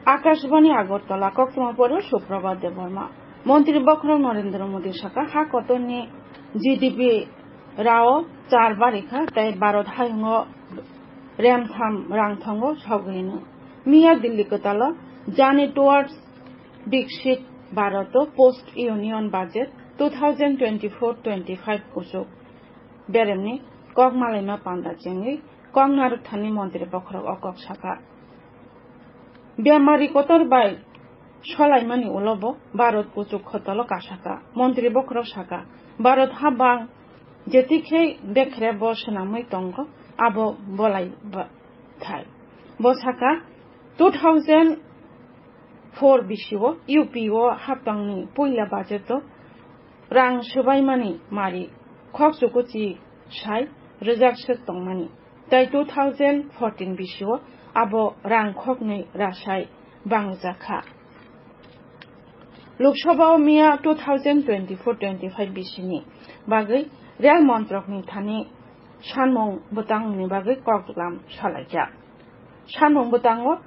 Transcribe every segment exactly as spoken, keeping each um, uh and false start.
Akashbani Agartala, koktwma poro Suprabhat Debbarma. Montri bokhorok Narendra Modi saka, ha kotorni G D P rao char barikha, tei Bharat hayungo remtham rangthango sogwino. Miya Delhi kwtalo Journey Towards Viksit Bharat Post Union Budget two thousand twenty-four twenty-five kuchuk beremni kok malaima panda chengwi kok narwkthani montri bokhorok o kok saka. Bemari kotor bai solaimani ulo bo Bharat kuchuk khotolo kasaka. Montri bokhorok saka, Bharat habang jetikhe bekhre bo swnamwi tongo, abo bolai ba-, thai. Bo saka, two thousand four bisio U P o haptangni puila budget o rang swbaimani mari khok chukuchi sai rwjak swk tongmani. Tai two thousand fourteen bisio abo rang khoknwi rasai bangjakha. Lok Sabha o miya two thousand twenty-four twenty-five bisini bagwi rel montrokni thani sanmung bwtangni bagwi koklam salaijak. Sanmung bwtango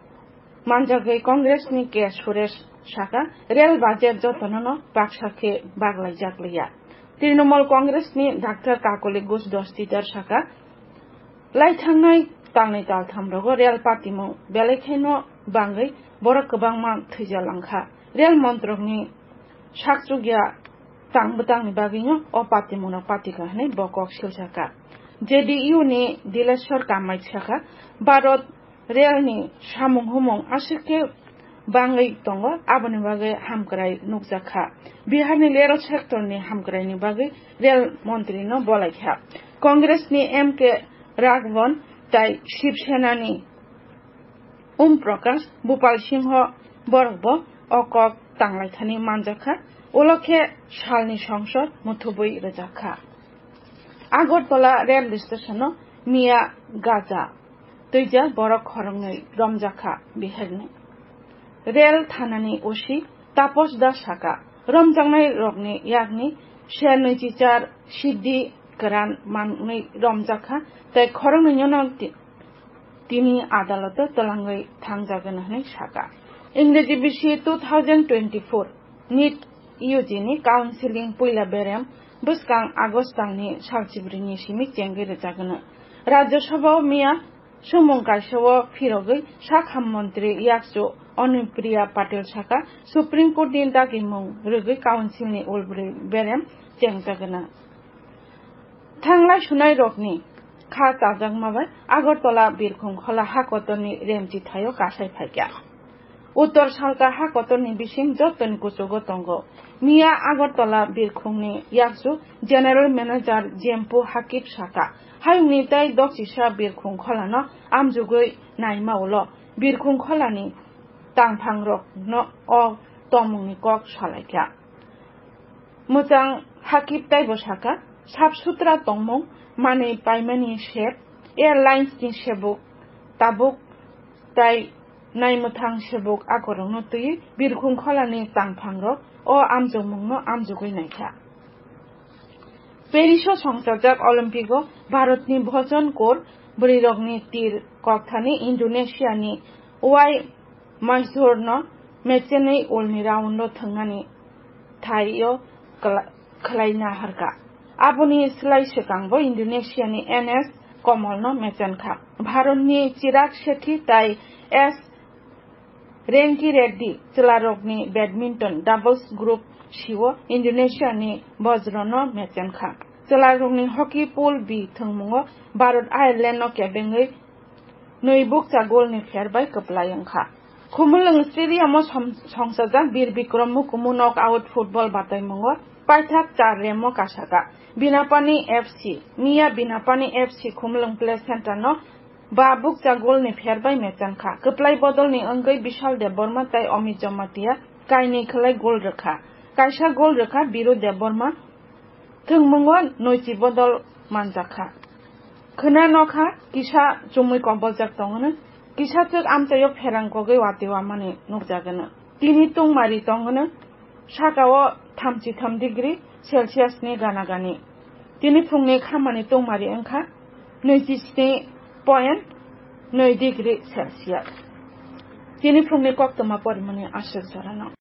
manjagwi Congress ni K Suresh saka, rel budget jotono no baksa khe baglaijak liya. Trinamool Congress ni Doctor Kakuli Ghosh Dastidar saka, lai thangnai talnwi taltham rogo rel patimung belai kheno bangwi borok kwbangma thwijalangkha. Rel montrok ni sakchukya tang bwtangni bagwino o patimungno patikha hwnwi bo kok silsakha. J D U ni Dileshwar Kamath saka, Bharat rel ni samung humung aswk khe bangwi tongo, aboni bagwi hamkrai nukjakha. Bihar ni rel sector ni hamkrai ni bagwi rel montri no bolaikha. Congress ni M K Raghavan tai Shiv Sena ni Om Prakash, Bhupal Singh borok bo o kok tanglaithani manjakha, ulo khe salni songsor muthubwi rwjakha. Agartala rail station-o miya gaja twijak borok khoroknwi romjakha Biharni. Rail thanani O C Tapos Das saka, romjaknai rokni yakni ser nwichichar siddhi kwran manwi romjakha, tei khoroknwino ti-, tini adaloto twlangwi thangjagwino hwnwi saka. Ingreji bisi two thousand twenty-four NEET U G ni counseling puila berem bwskang August talni salchibrini simi chengwi rwjagwino. Rajya Sabha o miya sumung kaisa o phirogwi sak ham montri yakchu Anupriya Patel saka, Supreme Court ni dagimung rwgwi council ni ulbrwi berem chengjagwino. Thanglai sunai rokni kha chajakma bai Agartala Birkhung Khola hakotorni remchi thaio kasai phaikha. Uttor salka hakotorni bising jotoni kuchugo tongo. Miya Agartala Birkhungni yakchu General Manager Jempu Hakib saka, hayungni tei doksisa Birkhung Kholano amjugwi naima ulo Birkhung Kholani tangphangrokno o tongmungni kok salaikha. Mwchang Hakib taibo saka, sap sutra tongmung, manwi paimani sep, airlines ni sebuk, tabuk tai naimwthang sebuk akorokno twiwi Birkhung Kholani tangphangrok o amjokmungno amjogwi naikha. Paris o songchajak Olympic o Bharatni Bhojon Kaur bwrwirokni tir kokthani Indonesia ni Y Maizurno mechenwi ulni round o thwngnani thaio kla-, khlaina harkha. Aboni slai swkangbo Indonesiani N S Komolno mechenkha. Bharatni Chirag Shetty tai S Ranki Reddy chwlarokni badminton doubles group C o Indonesiani Bojrono mechenkha. Chwlarokni hockey pool B thwngmungo Bharat Irelandno kebengwi nwi bukcha golni pher bai kwplai wngkha. Khumulwng Stadium-o som-, songchajak Bir Bikram Mukumu knockout football bataimungo paithak char remo kasaka. Binapani F C, miya Binapani F C Khumulwng Play Center-no ba bukcha golni pher bai mechenkha. Kwplai bodolni wngwi Bishal Debbarma tei Amit Jamatia kainwi khwlai gol rwkha. Kaisa gol rwkha Biru Debbarma, thwngmungo nwichi bodol manjakha. Khwna nokha kisa chumui koboljak tongwno, kisa chwk amchaio pherang kogwi watwi wamani nukjagwno. Tini tungmari tongwno, sakao thamchi tham degree Celsius ni gana gani. Tini phungni khamani tungmari wngkha nwichi sni point nwi degree Celsius. Tini phungni koktwma porimani aswk jorano.